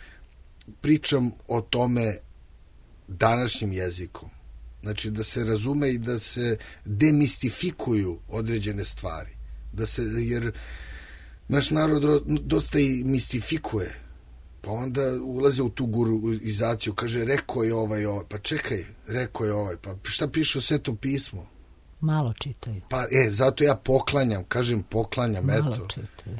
pričam o tome današnjim jezikom. Znači, da se razume i da se demistifikuju određene stvari. Da se, jer naš narod dosta i mistifikuje. Pa onda ulaze u tu guruizaciju, kaže, rekao je ovaj, ovaj. Pa čekaj, rekao je ovaj. Pa šta piše u Svetom pismu? Malo čitaju. Pa, e, zato ja poklanjam, kažem poklanjam, Malo eto. čitaju.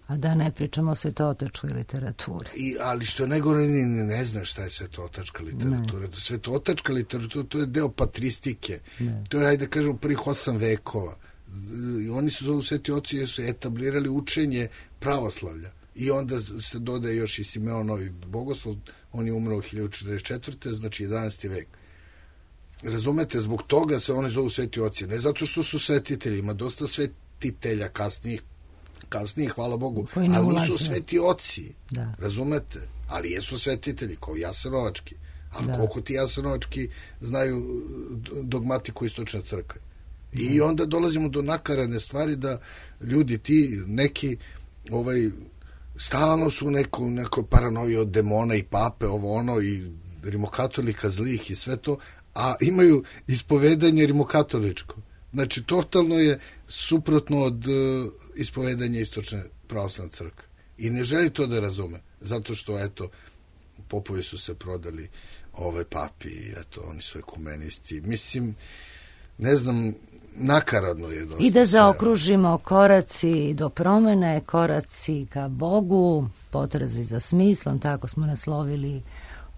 A da ne pričamo o svetootačkoj literaturi. I, ali što je najgore, ni ne znam šta je svetootačka literatura. Ne. Svetootačka literatura, to je deo patristike. Ne. To je, hajde kažemo, prvih osam vekova. I oni su zovu sveti oci jer su etablirali učenje pravoslavlja. I onda se dodaje još i Simeonovi bogoslov, on je umro u hiljadu četrdeset četvrte znači jedanaesti vek. Razumete, zbog toga se oni zovu sveti oci. Ne zato što su svetitelji, ima dosta svetitelja kasnijih, kasnije, hvala Bogu, ali nisu sveti oci, da. Razumete? Ali jesu svetitelji, kao Jasenovački. Ali da. Koliko ti Jasenovački znaju dogmatiku istočne crkve? I da. Onda dolazimo do nakaradne stvari da ljudi ti neki ovaj, stalno su neko, neko paranoji od demona i pape, ovo ono, i rimokatolika zlih i sve to, a imaju ispovedanje rimokatoličko. Znači, totalno je suprotno od uh, ispovedanja istočne pravoslavne crkve. I ne želi to da razume, zato što, eto, popovi su se prodali ove papi, eto, oni su ekumenisti. Mislim, ne znam, nakaradno je dosta. I da zaokružimo koraci do promene, koraci ka Bogu, potrazi za smislom, tako smo naslovili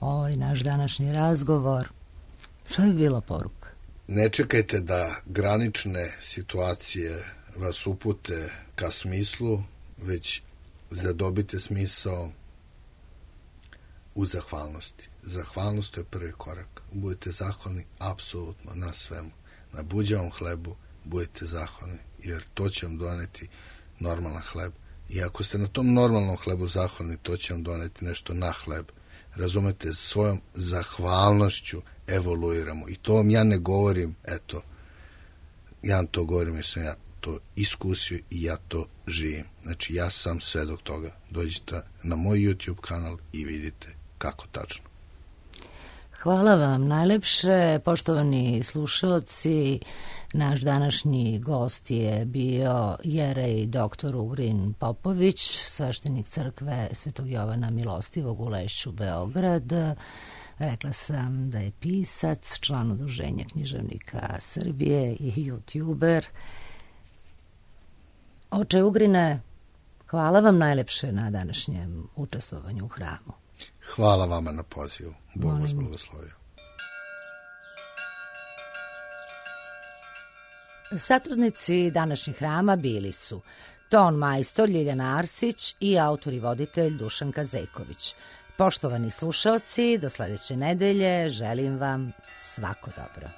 ovaj naš današnji razgovor. Šta bi bila poruka? Ne čekajte da granične situacije vas upute ka smislu, već zadobite smisao u zahvalnosti. Zahvalnost je prvi korak. Budite zahvalni apsolutno na svemu. Na buđavom hlebu budite zahvalni, jer to će vam doneti normalan hleb. I ako ste na tom normalnom hlebu zahvalni, to će vam doneti nešto na hleb. Razumete, svojom zahvalnošću evoluiramo. I to vam ja ne govorim, eto, ja vam to govorim jer sam ja to iskusio i ja to živim. Znači, ja sam svedok toga. Dođite na moj YouTube kanal i vidite kako tačno. Hvala vam najlepše, poštovani slušalci. Naš današnji gost je bio jerej doktor Ugrin Popović, sveštenik crkve Svetog Jovana Milostivog u Lešću, Beograd. Rekla sam da je pisac, član Udruženja književnika Srbije i youtuber. Oče Ugrine, hvala vam najlepše na današnjem učestvovanju u hramu. Hvala vama na pozivu. Bog vas blagoslovio. Satrudnici današnjih hrama bili su ton majstor Ljiljana Arsić i autor i voditelj Dušan Kazejković. Poštovani slušaoci, do sledeće nedelje želim vam svako dobro.